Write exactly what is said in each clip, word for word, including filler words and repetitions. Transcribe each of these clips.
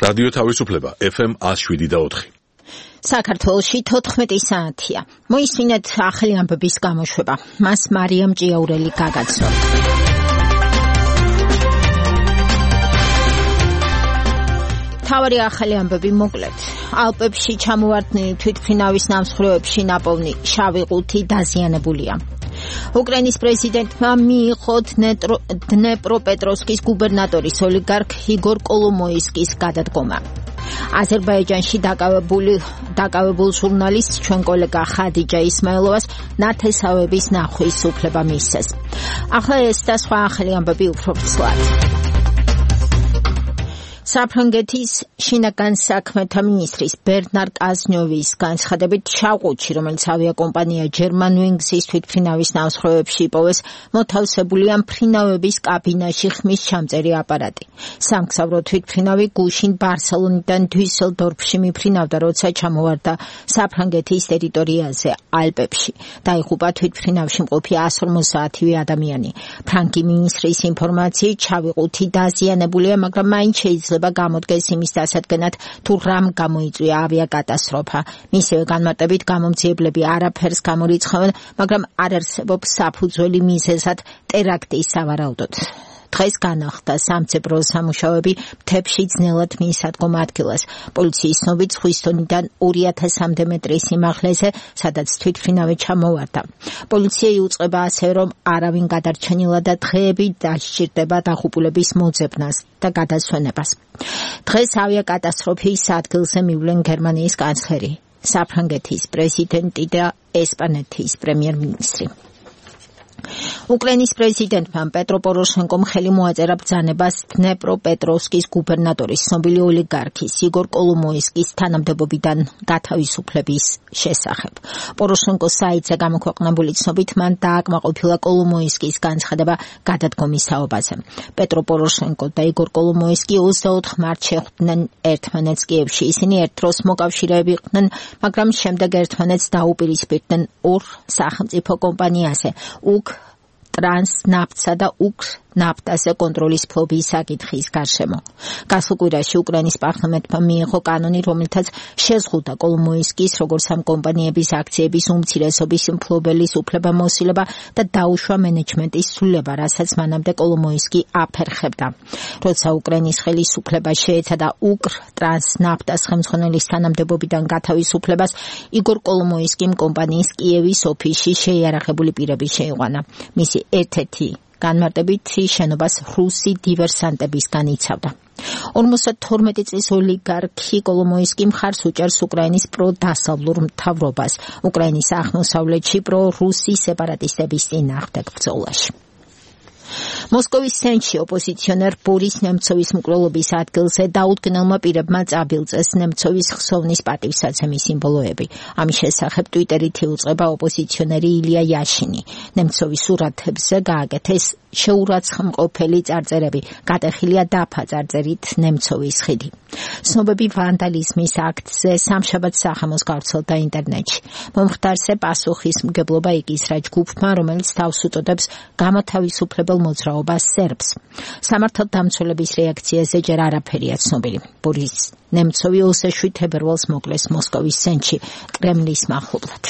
რადიო თავისუფლება ეფ ემ one oh seven და four. საქართველოში თოთხმეტი საათია. მოისმინეთ ახალი ამბების გამოშვება. მას მარიამ ჭიაურელი გაგაცნობს. თავარი ახალი ამბები მოკლედ. ალპებში ჩამოვარდნილი თვითმფრინავის ნამსხვრევებში ნაპოვნი შავი ყუთი დაზიანებულია. უკრაინის პრეზიდენტმა მიიღო დნეპროპეტროვსკის გუბერნატორის ოლიგარქ იგორ კოლომოისკის გადადგომა. აზერბაიჯანში დაკავებული დაკავებულ ჟურნალისტ ჩვენ კოლეგა ხადიჯა ისმაილოვას ნათესავების ნახვის უფლება მისცეს. ახლა ეს და სხვა ახალი ამბები უფრო ცვლად. საფრანგეთის შინაგან საქმეთა მინისტრის ბერნარ კაზნიოვის განცხადებით შავყუთში, რომელიც ავიაკომპანია Germanwings-ის თვითმფრინავის ნამსხვრევებში იპოვეს, მოთავსებულია მფრინავების კაბინაში ხმის ჩამწერი აპარატი. სამგზავრო თვითმფრინავი გუშინ ბარსელონიდან დუისელდორფში მიფრინავდა, როცა ჩამოვარდა საფრანგეთის ტერიტორიაზე ალპებში. დაიღუპა თვითმფრინავში მყოფი one forty ადამიანი. ფრანგი მინისტრის ინფორმაციით, შავი ყუთი დაზიანებულია, მაგრამ მაინც შეიძლება გამოდგეს იმის დასადგენად, თუ რამ გამოიწვია ავიაკატასტროფა. მისივე განმარტებით გამომძიებლები არაფერს გამორიცხავენ, მაგრამ არ არსებობს საფუძველი მიზეზად ტერაქტის სავარაუდოდ. დღეს განახლდა სამწებრო სამუშაოები მთებში ძნელად მიისადგომ ადგილას. პოლიციის ცნობით ზღვის დონიდან two thousand მეტრის სიმაღლეზე, სადაც თვითმფრინავი ჩამოვარდა. პოლიცია იუწყება ასევე, რომ არავინ გადარჩენილა და დღეები დასჭირდება დაღუპულების მოძებნას და გადასვენებას. დღეს ავიაკატასტროფის ადგილზე მივლენ გერმანიის კანცლერი, საფრანგეთის პრეზიდენტი და ესპანეთის პრემიერ-მინისტრი. უკრაინის პრეზიდენტმა პეტრო პოროშენკომ ხელი მოაწერა ბრძანებას დნეპროპეტროვსკის გუბერნატორის ცნობილი ოლიგარქის იგორ კოლომოისკის თანამდებობიდან გათავისუფლების შესახებ. პოროშენკოს საიტზე გამოქვეყნებული ცნობით მან დააკმაყოფილა კოლომოისკის განცხადება გადადგომის თაობაზე. პეტრო პოროშენკო და იგორ კოლომოისკი twenty-four მარტს შეხვდნენ ერთმანეთს კიევში. ისინი ერთ დროს მოკავშირეები იყვნენ, მაგრამ შემდეგ ერთმანეთს დაუპირისპირდნენ ორ სახელმწიფო კომპანიაზე, უკ ტრანსნაფტსა და უკ ნაფტაზე კონტროლის ფლობის საკითხის გარშემო. გასულ კვირაში უკრაინის პარლამენტმა მიიღო კანონი, რომელთაც შეზღუდა კოლომოისკის როგორც ამ კომპანიების აქციების უმცირესობის მფლობელის უფლებამოსილება და დაუშვა მენეჯმენტის ცვლილება, რასაც მანამდე კოლომოისკი აფერხებდა. როცა უკრაინის ხელისუფლება შეეცადა უკრ ტრანსნაფტას ხელმძღვანელის თანამდებობიდან გათავისუფლებას, იგორ კოლომოისკიმ კომპანიის კიევის ოფისში შეიარაღებული პირები შეიყვანა. მისი ერთ-ერთი განმარტებით შენობას რუსი დივერსანტებისგან იცავდა. forty-two წლის ოლიგარქი კოლომოისკი მხარს უჭერს უკრაინის პროდასავლურ მთავრობას უკრაინის აღმოსავლეთში პრო-რუსი სეპარატისტების წინააღმდეგ ბრძოლაში. მოსკოვის ცენტრში ოპოზიციონერ ბორის ნემცოვის მკვლელობის ადგილზე დაუდგენელმა პირებმა წაბილწეს ნემცოვის ხსოვნის პატივსაცემის სიმბოლოები. ამის შესახებ ტვიტერით იუწყება ოპოზიციონერი ილია იაშინი. ნემცოვის სურათებზე გააკეთეს შეურაცხმყოფელი წარწერები, გატეხილია დაფა წარწერით ნემცოვის ხიდი. ცნობები ვანდალიზმის აქტზე სამშაბათს სახამოს გავრცელდა ინტერნეტში. მომხდარზე პასუხისმგებლობა იკისრა ჯგუფმა, რომელიც თავს უწოდებს გამოთავისუფლებელ მოძრაობას სერბს. სამართალდამცველების რეაქციაზე ჯერ არაფერია ცნობილი. ბორის ნემცოვი twenty-seven თებერვალს მოკლეს მოსკოვის ცენტრში კრემლის მახლობლად.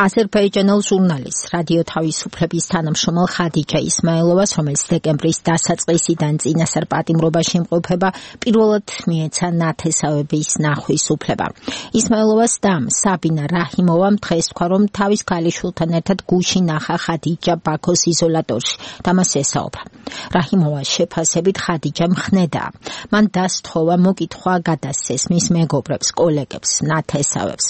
აზერბაიჯანელ ჟურნალისტ რადიო თავისუფლების თანამშრომელ ხადიჯა ისმაილოვას, რომელიც დეკემბრის დასაწყისიდან წინასწარ პატიმრობაში იმყოფება, პირველად მიეცა ნათესავების ნახვის უფლება. ისმაილოვას დამ საბინა რაჰიმოვამ დღეს თქვა, რომ თავის ქალიშვილთან ერთად გუშინ ნახა ხადიჯა ბაქოს იზოლატორში და მას ესაუბრა. რაჰიმოვას შეფასებით ხადიჯა მხნედაა. მან დასთხოვა მოკითხვა გადასცეს მის მეგობრებს, კოლეგებს, ნათესავებს.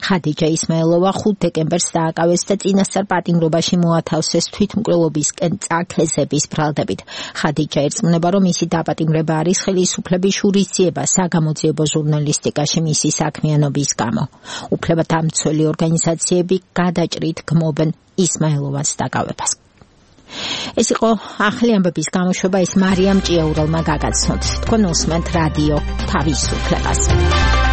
ხადიჯა ისმაილოვა ხუთ დეკემბერს დააკავეს და წინასწარ პატიმრობაში მოათავსეს თვითმკვლელობისკენ წაქეზების ბრალდებით. ხადიჯა ერწმუნება, რომ მისი დაპატიმრება არის ხელისუფლების შურისძიება საგამოძიებო ჟურნალისტიკაში მისი საქმიანობის გამო. უფლებადამცველი ორგანიზაციები გადაჭრით გმობენ ისმაილოვას დაკავებას. ეს იყო ახალი ამბების გამოშვება, ეს მარიამ ჭიაურელმა გაგაცნოთ. თქვენ უსმენთ რადიო თავისუფლებას.